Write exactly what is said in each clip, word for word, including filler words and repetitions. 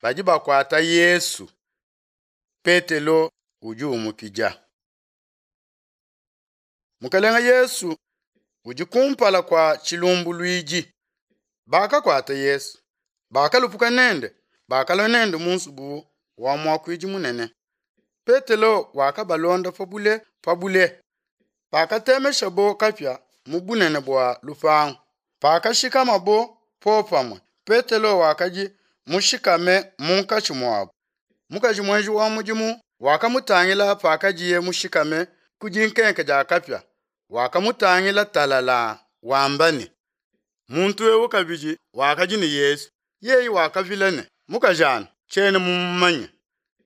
Badi bakuata Yesu, Petelo udi umupidia. Mukelenge Yesu udi kumpala kua tshilumbuluidi. Bakakuata Yesu, bakalupuka nende, bakalua nende mu nzubu wa muakuidi munene. Petelo wakabalonda pa bule pa bule. Pakatemeshabo kapia mu bunene bua lupangu, pakashikamabo popamue, Petelo wakadi mushikame munkatshi muabo. Mukaji muenji wa mudimu wakamutangila pakadiye mushikame ku dinkenke dia kapia, wakamutangila talalaa, wamba ne, Muntu ewu kabidi wakadi ne Yesu. Yeye wakavila ne, Mukajana, tshiena mumumanye.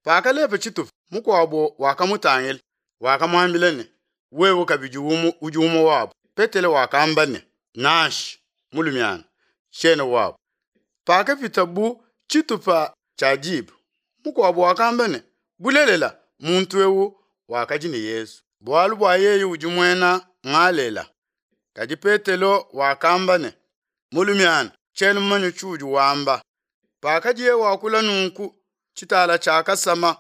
Pakalepa tshitupa, mukuabo wakamutangila, wakamuambila ne, Wewe kabidi udi umue wabo. Petelo wakamba ne, Nansha, mulumiana, tshiena wabo. Pakapita bu tshitupa tshia diba, mukuabo wakamba ne, Bulelela, muntu ewu wakadi ne Yesu, bualu bua yeye udi muena Ngalela. Kadi Petelo wakamba ne, Mulumiana, tshiena mumanye tshiudi wamba. Pakadiye wakula nunku, tshitala tshiakasama.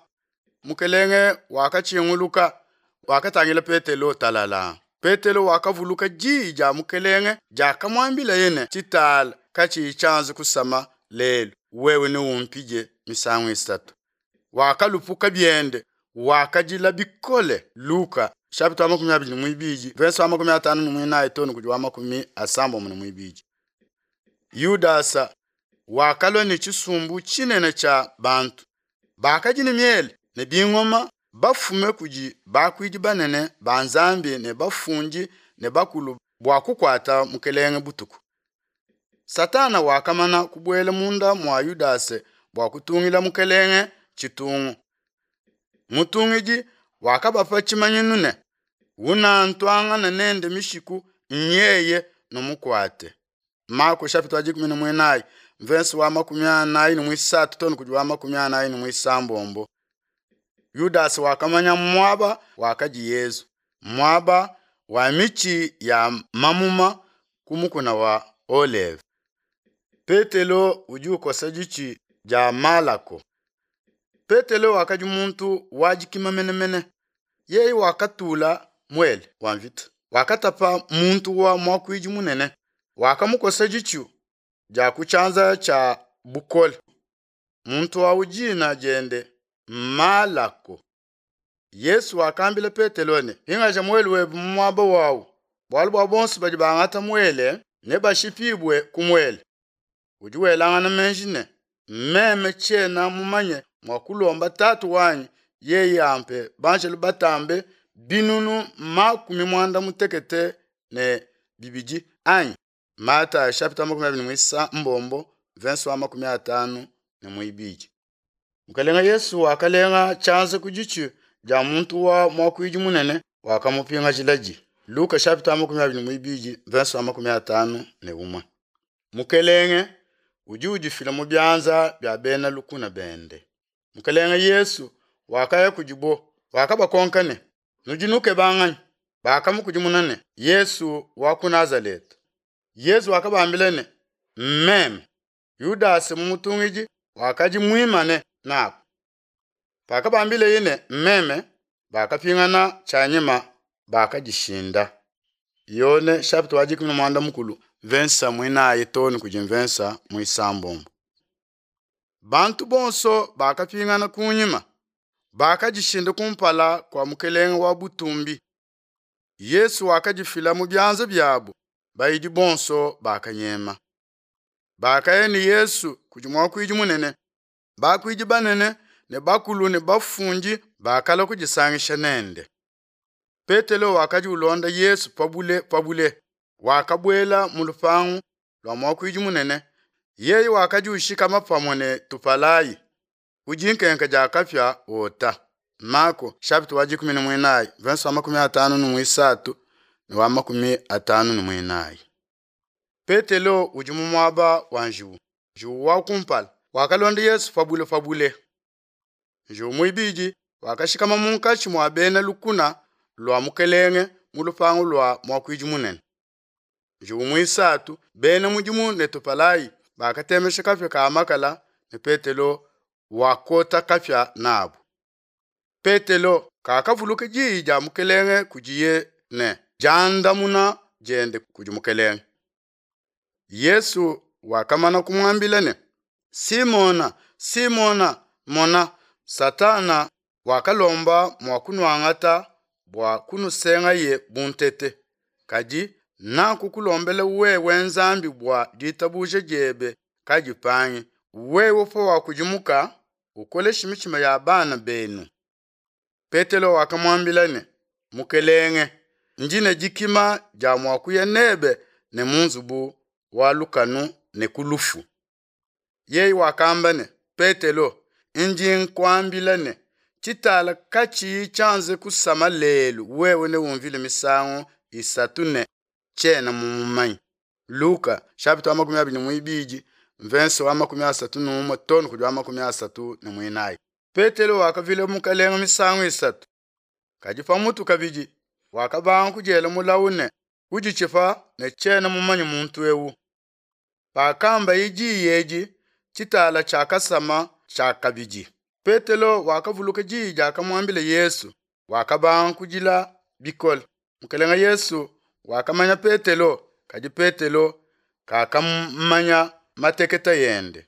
Mukelenge wakatshinguluka, wakatangila Petelo talalaa. Petelo wakavuluka diyi dia Mukelenge diakamuambilaye ne, Tshitala katshiyi tshianze kusama lelu, wewe neumpidie misangu isatu. Wakalupuka biende, wakadila bikole. Luka chapitre wa makumi abidi ne muibidi, verse wa makumi atanu ne muinayi too ne kudi wa makumi asambombo ne muibidi. Yudasa wakalua ne tshisumbu tshinene tshia bantu bakadi ne miele ne bingoma, bafume kudi bakuidi banene ba Nzambi ne bafundi ne bakulu bua kukuata mukelenge butuku. Satana wakamana kubuela munda mua Yudase bua kutungila mukelenge tshitungu. Mutungidi wakabapa tshimanyinu ne, Unantuangana nende mishiku nyeye numukuate. Marko chapitre wa dikumi ne muinayi, verse wa makumi anayi ne muisatu too ne kudi wa makumi anayi ne muisambombo. Yudase wakamanya muaba wakadi Yesu, muaba wa mitshi ya mamuma ku mukuna wa Oleve. Petelo udi ukosa ditshi dia Malako. Petelo wakadi muntu wa dikima menemene. Yeye wakatula muele wa mvita, wakatapa muntu wa muakuidi munene, wakamukosa ditshi dia ku tshianza tshia bukole. Muntu awu dina diende Malako. Yesu wakambila Petelo ne, Pingaja muele webe mu muaba wawu, bualu bua bonso badi bangata muele nebashipibue ku muele. Udi welangana meji ne, meme tshiena mumanye mua kulomba Tatu wanyi yeye ampe banjelu batambe binunu makumi muanda mutekete ne bibidi anyi? Matayo chapitre makumi abidi ne muisambombo, verse wa makumi atanu ne muibidi. Mukelenge Yesu wakalenga tshianza ku ditshi dia muntu wa muakuidi munene, wakamupingajiladi. Luka chapitre makumi abidi ne muibidi, verse wa makumi atanu ne umue. Mukelenge udi udifila mu bianza bia bena lukuna bende. Mukelenge Yesu wakaya kudibo, wakabakonka ne, Nudi nukeba nganyi? Bakamukudimuna ne, Yesu wa ku Nazaleta. Yesu wakabambila ne, Mmeme. Yudase mumutungidi wakadi muimane nabo. Pakabambileye ne, Mmeme, bakapingana tshianyima, bakadishinda. Yone chapitre wa dikumi ne muanda mukulu, verse muinayi too ne kudi verse muisambombo. Bantu bonso bakapingana kunyima, bakadishinda kumpala kua mukelenge wa butumbi. Yesu wakadifila mu bianza biabo, bayidi bonso bakanyema. Bakaya ne Yesu kudi muakuidi munene. Bakuidi banene ne bakulu ne bafundi bakalua kudisangisha nende. Petelo wakadi ulonda Yesu pabule pabule, wakabuela mu lupangu lua muakuidi munene. Yeye wakadi ushikama pamue ne tupalayi ku dinkenke dia kapia ota. Marko chapitre wa dikumi ne muinayi, verse wa makumi atanu ne muisatu ne wa makumi atanu ne muinayi. Petelo udi mu muaba wa njiwu. Njiwu wa kumpala wakalonda Yesu pabule pabule. Njiwu muibidi wakashikama munkatshi mua bena lukuna lua mukelenge mu lupangu lua muakuidi munene. Njiwu muisatu, bena mudimu ne tupalayi bakatemesha kapia ka makala ne Petelo wakota kapia nabo. Petelo kakavuluka diyi dia Mukelenge kudiye ne diandamuna diende kudi Mukelenge. Yesu wakamana kumuambila ne, Simona, Simona, mona, Satana wakalomba mua kunuangata bua kunusengaye bu ntete, kadi nakukulombela wewe Nzambi bua ditabuja diebe kadipangi, wewe pawakudimuka, ukoleshe mitshima ya bana benu. Petelo wakamuambila ne, Mukelenge, ndi ne dikima dia mua kuya nebe ne mu nzubu wa lukanu ne ku lufu. Yeye wakamba ne, Petelo, ndi nkuambila ne, tshitala katshiyi tshianze kusama lelu, wewe neumvile misangu isatu ne, tshiena mumumanye. Luka chapitre wa makumi abidi ne muibidi mvense wa makumi asatu ne umue too ne kudi wa makumi asatu ne muinayi. Petelo wakavila Mukelenge misangu isatu, kadi pamutu kabidi wakabanga kudiela mulawu ne kuditshipa ne tshiena mumanye muntu ewu. Pakambaye diyi edi, tshitala tshiakasama tshiakabidi. Petelo wakavuluka diyi diakamuambila Yesu, wakabanga kudila bikole. Mukelenge Yesu wakamanya Petelo, kadi Petelo kakamanya mateketa ende.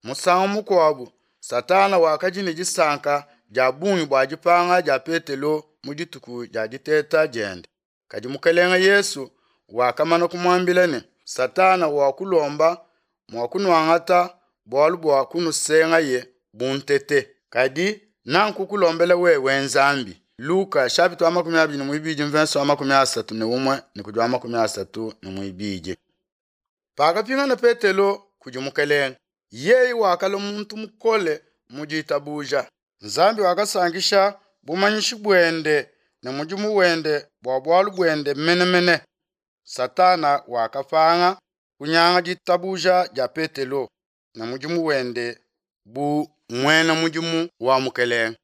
Musangu mukuabo Satana wakadi ne disanka dia bungi bua dipanga dia Petelo mu dituku dia diteta diende, kadi Mukelenge Yesu wakamana kumuambila ne, Satana wakulomba mua kunuangata bualu bua kunusengaye bu ntete, kadi nakukulombela wewe Nzambi. Luka chapitre wa makumi abidi ne muibidi mvense wa makumi asatu ne umue ne kudi wa makumi asatu ne muibidi. Pakapingana Petelo kudi Mukelenge, yeye wakalua muntu mukole mu ditabuja. Nzambi wakasankisha bumanyishi buende ne mudimu wende bua bualu buende mene mene. Satana wakapanga kunyanga ditabuja dia Petelo ne mudimu wende bu muena mudimu wa Mukelenge.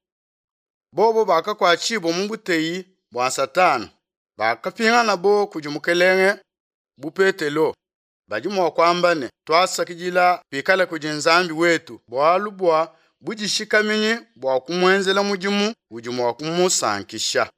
Bobo bakakuatshibua mu buteyi bua Satana, bakapinganabo kudi Mukelenge bu Petelo. Badi mua kuamba ne, tuasakidila kuikala kudi Nzambi wetu bualu bua budishikaminyi bua kumuenzela mudimu udi mua kumusankisha.